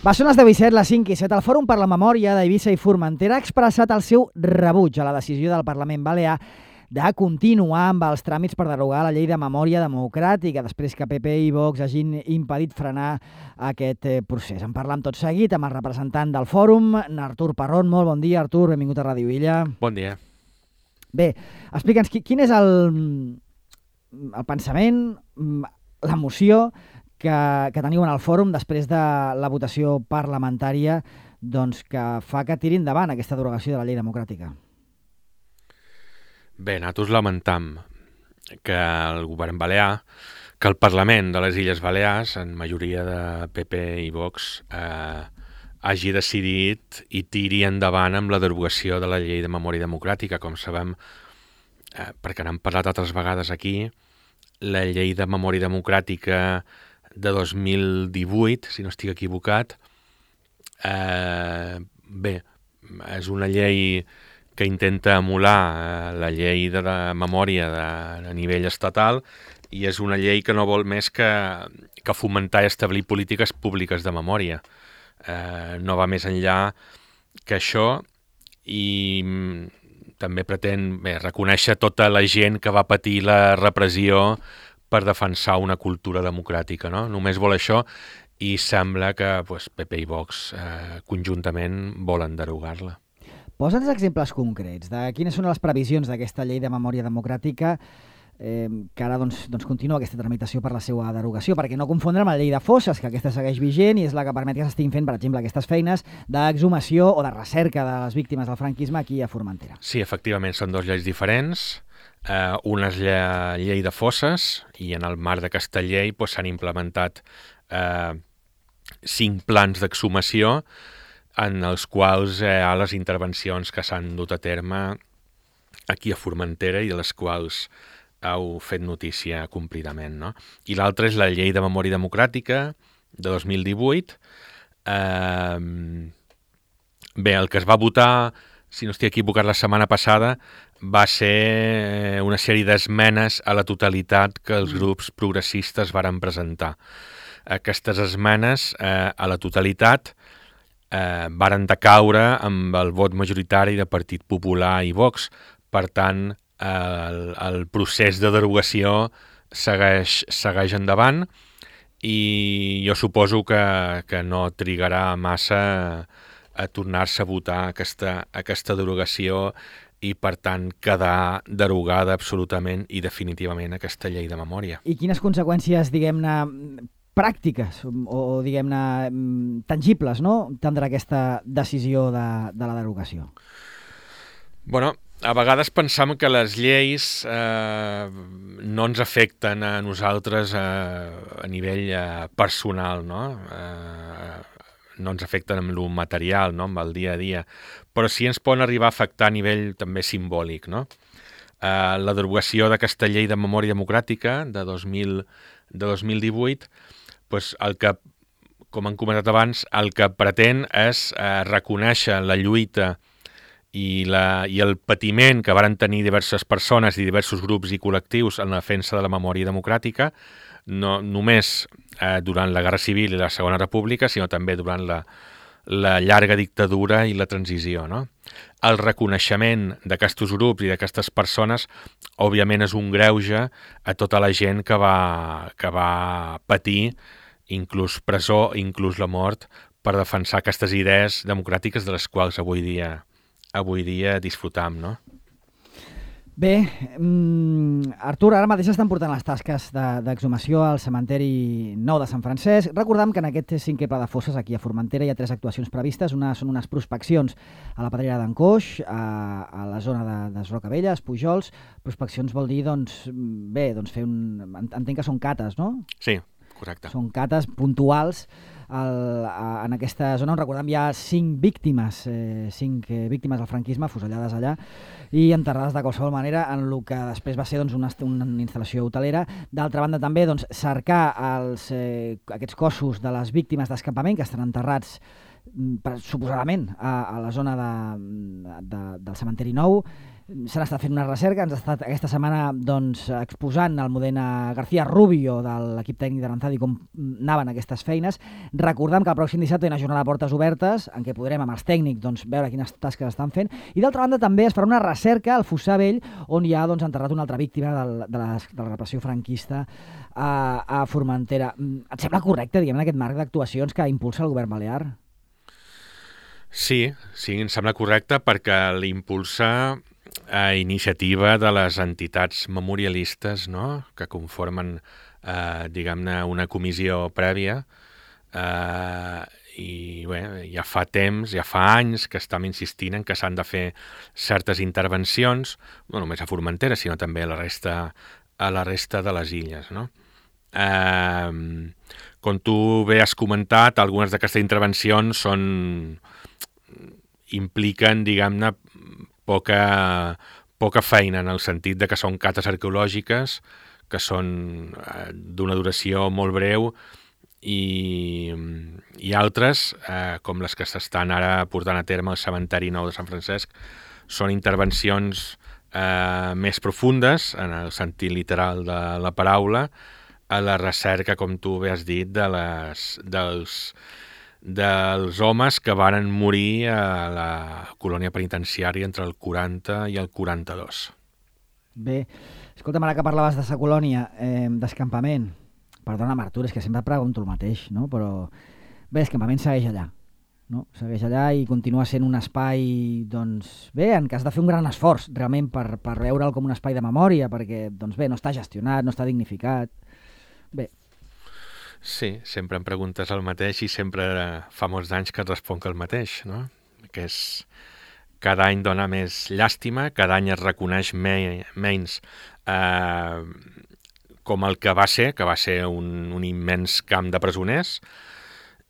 Va, són les 10:07, les 5:07. El Fòrum per la Memòria d'Eivissa i Formentera ha expressat el seu rebuig a la decisió del Parlament Balear de continuar amb els tràmits per derogar la llei de memòria democràtica després que PP i Vox hagin impedit frenar aquest procés. En parlam tot seguit amb el representant del Fòrum, Artur Parrón. Molt bon dia, Artur, benvingut a Ràdio Illa. Bon dia. Bé, explica'ns quin és el pensament, l'emoció que teniu en el fòrum després de la votació parlamentària que fa que tiri endavant aquesta derogació de la llei democràtica. Bé, nosaltres lamentam que el govern balear, que el Parlament de les Illes Balears, en majoria de PP i Vox, hagi decidit i tiri endavant amb la derogació de la llei de memòria democràtica. Com sabem, perquè n'hem parlat altres vegades aquí, la llei de memòria democràtica de 2018, si no estic equivocat, bé, és una llei que intenta emular la llei de la memòria a nivell estatal i és una llei que no vol més que fomentar i establir polítiques públiques de memòria. No va més enllà que això i també pretén reconèixer tota la gent que va patir la repressió per defensar una cultura democràtica, no? Només vol això i sembla que PP i Vox conjuntament volen derogar-la. Posa'ns exemples concrets de quines són les previsions d'aquesta llei de memòria democràtica que ara continua aquesta tramitació per la seva derogació, perquè no confondre amb la llei de fosses, que aquesta segueix vigent i és la que permet que s'estiguin fent, per exemple, aquestes feines d'exhumació o de recerca de les víctimes del franquisme aquí a Formentera. Sí, efectivament, són dues lleis diferents. Una és la llei de fosses i en el marc d'aquesta llei s'han implementat 5 plans d'exhumació en els quals hi ha les intervencions que s'han dut a terme aquí a Formentera i de les quals heu fet notícia complidament, no? I l'altra és la llei de memòria democràtica de 2018. Bé, el que es va votar, si no estic equivocat, la setmana passada va ser una sèrie d'esmenes a la totalitat que els grups progressistes varen presentar. Aquestes esmenes a la totalitat varen decaure amb el vot majoritari de Partit Popular i Vox. Per tant, el procés de derogació segueix endavant i jo suposo que no trigarà massa a tornar-se a votar aquesta derogació i, per tant, quedar derogada absolutament i definitivament aquesta llei de memòria. I quines conseqüències, diguem-ne, pràctiques o diguem-ne, tangibles, no?, tindrà aquesta decisió de la derogació? Bueno, a vegades pensam que les lleis no ens afecten a nosaltres a nivell personal, no? No ens afecten amb el material, no? Amb el dia a dia, però sí ens poden arribar a afectar a nivell també simbòlic, no? La derogació d'aquesta llei de memòria democràtica de 2018, el que, com hem comentat abans, el que pretén és reconèixer la lluita i el patiment que varen tenir diverses persones i diversos grups i col·lectius en la defensa de la memòria democràtica, no només durant la Guerra Civil i la Segona República, sinó també durant la llarga dictadura i la transició, no? El reconeixement d'aquests grups i d'aquestes persones, òbviament, és un greuge a tota la gent que va patir inclús presó, inclús la mort, per defensar aquestes idees democràtiques de les quals avui dia disfrutam, no? Bé, Artur, ara mateix estan portant les tasques d'exhumació al cementeri nou de Sant Francesc. Recordam que en aquest 5è pla de fosses aquí a Formentera hi ha 3 actuacions previstes. Són unes prospeccions a la pedrera d'en Coix, a la zona de Rocabelles, Pujols. Prospeccions vol dir, fer entenc que són cates, no? Sí, correcte. Són cates puntuals en aquesta zona on, recordem, hi ha 5 víctimes del franquisme afusellades allà i enterrades de qualsevol manera en el que després va ser una instal·lació hotelera. D'altra banda, també cercar aquests cossos de les víctimes d'escampament que estan enterrats suposadament a la zona del cementeri nou s'han estat fent una recerca, ens ha estat aquesta setmana doncs, exposant el Modena García Rubio de l'equip tècnic de l'Antadi com anaven aquestes feines. Recordem que el pròxim dissabte hi ha una jornada de portes obertes en què podrem amb els tècnics doncs, veure quines tasques estan fent, i d'altra banda també es farà una recerca al Fossar Vell on hi ha doncs, enterrat una altra víctima de la repressió franquista a Formentera. Et sembla correcte, diguem, en aquest marc d'actuacions que impulsa el govern balear? Sí, em sembla correcte perquè l'impulsa a iniciativa de les entitats memorialistes, no?, que conformen, diguem-ne, una comissió prèvia, i bé, ja fa temps, ja fa anys que estem insistint en que s'han de fer certes intervencions, no només a Formentera, sinó també a la resta de les illes, no? Com tu bé has comentat, algunes d'aquestes intervencions impliquen, diguem-ne, poca feina, en el sentit de que són cates arqueològiques, que són d'una duració molt breu, i altres, com les que s'estan ara portant a terme al cementeri nou de Sant Francesc, són intervencions més profundes, en el sentit literal de la paraula, a la recerca, com tu bé has dit, dels homes que varen morir a la colònia penitenciària entre el 40 i el 42. Bé, escolta'm, ara que parlaves de sa colònia, d'escampament, perdona'm, Artur, és que sempre pregunto el mateix, no? Però bé, l'escampament segueix allà, no? Segueix allà i continua sent un espai, doncs, bé, en què has de fer un gran esforç, realment, per veure'l com un espai de memòria, perquè, doncs bé, no està gestionat, no està dignificat. Bé. Sí, sempre em preguntes el mateix i sempre fa molts anys que et responc el mateix, no? Que és... Cada any dona més llàstima, cada any es reconeix menys com el que va ser un immens camp de presoners,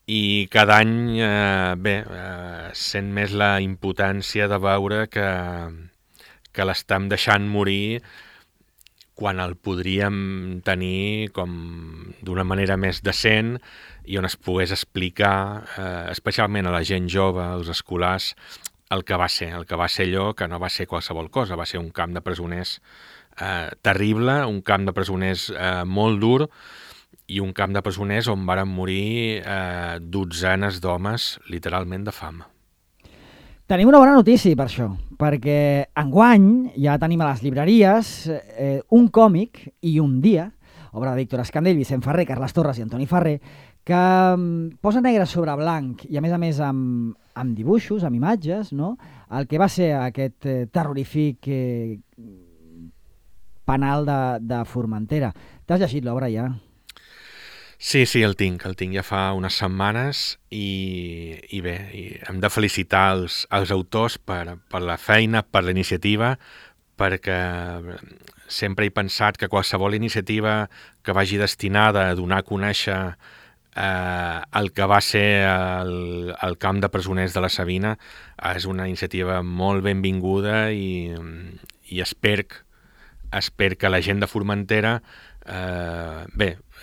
i cada any sent més la impotència de veure que l'estem deixant morir quan el podríem tenir com d'una manera més decent i on es pogués explicar, especialment a la gent jove, als escolars, el que va ser allò, que no va ser qualsevol cosa, va ser un camp de presoners terrible, un camp de presoners molt dur, i un camp de presoners on varen morir dotzenes d'homes, literalment de fam. Tenim una bona notícia per això, perquè enguany ja tenim a les llibreries un còmic i un dia, obra de Víctor Escandell, Vicent Ferrer, Carles Torres i Antoni Ferrer, que posa negre sobre blanc i a més amb dibuixos, amb imatges, no?, el que va ser aquest terrorífic penal de Formentera. T'has llegit l'obra ja? Sí, el tinc ja fa unes setmanes i bé, hem de felicitar els autors per la feina, per la iniciativa, perquè sempre he pensat que qualsevol iniciativa que vagi destinada a donar a conèixer el que va ser el camp de presoners de la Sabina és una iniciativa molt benvinguda i espero que la gent de Formentera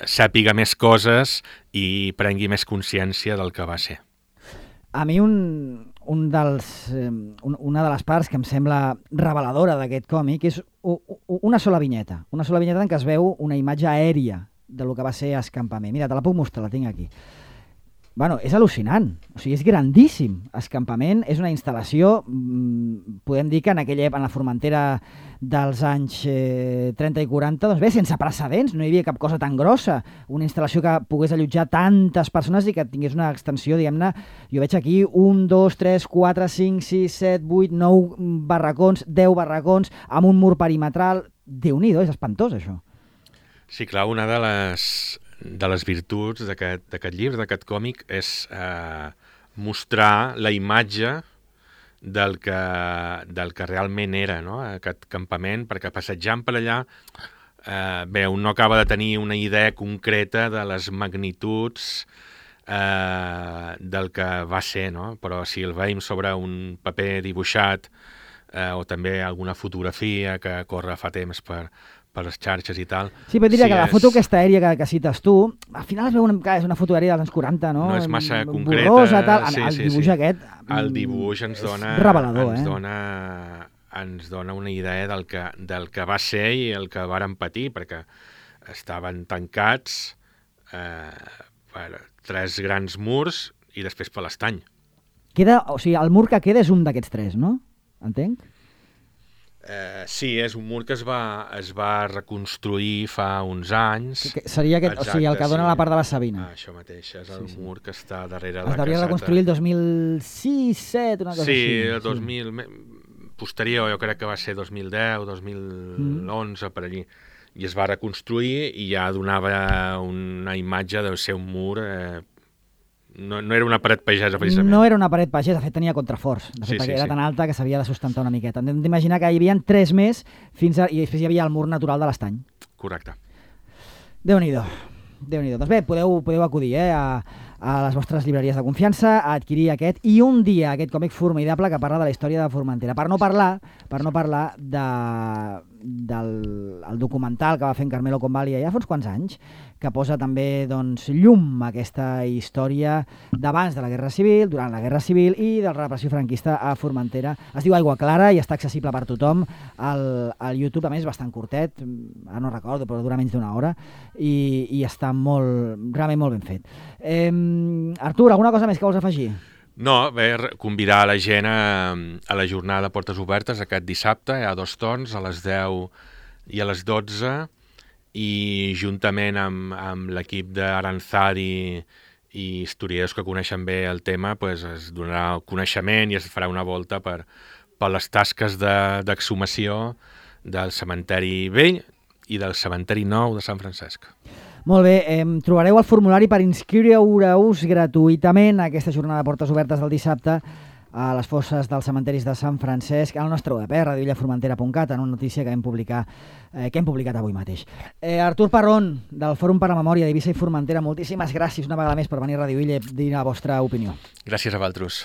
sàpiga més coses i prengui més consciència del que va ser. A mi una de les parts que em sembla reveladora d'aquest còmic és una sola vinyeta en què es veu una imatge aèria de lo que va ser Escampament. Mira, te la puc mostrar, la tinc aquí. Bueno, és al·lucinant, o sigui, és grandíssim. Escampament és una instal·lació, podem dir que en la Formentera dels anys 30 i 40, doncs bé, sense precedents, no hi havia cap cosa tan grossa, una instal·lació que pogués allotjar tantes persones i que tingués una extensió, diguem-ne, jo veig aquí 1, 2, 3, 4, 5, 6, 7, 8, 9 barracons, 10 barracons, amb un mur perimetral. Déu-n'hi-do, és espantós, això. Sí, clar, una de les virtuts d'aquest llibre, d'aquest còmic, és mostrar la imatge del que realment era, no?, aquest campament, perquè passejant per allà, un no acaba de tenir una idea concreta de les magnituds del que va ser, no? Però si el veiem sobre un paper dibuixat o també alguna fotografia que corre fa temps per les xarxes i tal... Sí, però diria que la foto aquesta aèria que cites tu, al final es veu és una foto aèria dels anys 40, no? No és massa concreta. Borrosa, tal. El dibuix aquest... El dibuix ens dona... revelador, ens dona ens dona una idea del que va ser i el que varen patir, perquè estaven tancats per 3 grans murs i després per l'estany. O sigui, el mur que queda és un d'aquests 3, no? Entenc? Sí, és un mur que es va reconstruir fa uns anys. Seria aquest, o sigui, el que dona la part de la Sabina. Això mateix, és el mur que està darrere de la caseta. Es devia reconstruir el 2006-2007, una cosa així. Sí, el 2000... Posterior, jo crec que va ser 2010, 2011, per allí. I es va reconstruir i ja donava una imatge de ser un mur... No era una paret pagesa, precisament. No era una paret pagesa, de fet tenia contraforts. De fet, era tan alta que s'havia de sustentar una miqueta. Hem d'imaginar que hi havia 3 més i després hi havia el mur natural de l'estany. Correcte. Déu-n'hi-do. Doncs bé, podeu acudir a les vostres llibreries de confiança a adquirir aquest i un dia aquest còmic formidable que parla de la història de Formentera. Per no parlar del documental que va fer en Carmelo Convalli ja fa uns quants anys, que posa també llum a aquesta història d'abans de la Guerra Civil, durant la Guerra Civil i de la repressió franquista a Formentera. Es diu Aigua Clara i està accessible per tothom al YouTube. A més, és bastant curtet, ara no recordo, però dura menys d'1 hora i està realment molt ben fet. Artur, alguna cosa més que vols afegir? No, convidar la gent a la jornada de portes obertes aquest dissabte. Hi ha 2 torns, a les 10 i a les 12, i juntament amb l'equip d'Aranzadi i historiadors que coneixen bé el tema, es donarà coneixement i es farà una volta per les tasques d'exhumació del cementeri vell i del cementeri nou de Sant Francesc. Molt bé, trobareu el formulari per inscriure-us gratuïtament a aquesta jornada de portes obertes del dissabte a les fosses dels cementeris de Sant Francesc al nostre web, radiovillaformentera.cat, en una notícia que hem publicat avui mateix. Artur Parrón, del Fòrum per la Memòria d'Eivissa i Formentera, moltíssimes gràcies una vegada més per venir a Radio Illa i dir la vostra opinió. Gràcies a vosaltres.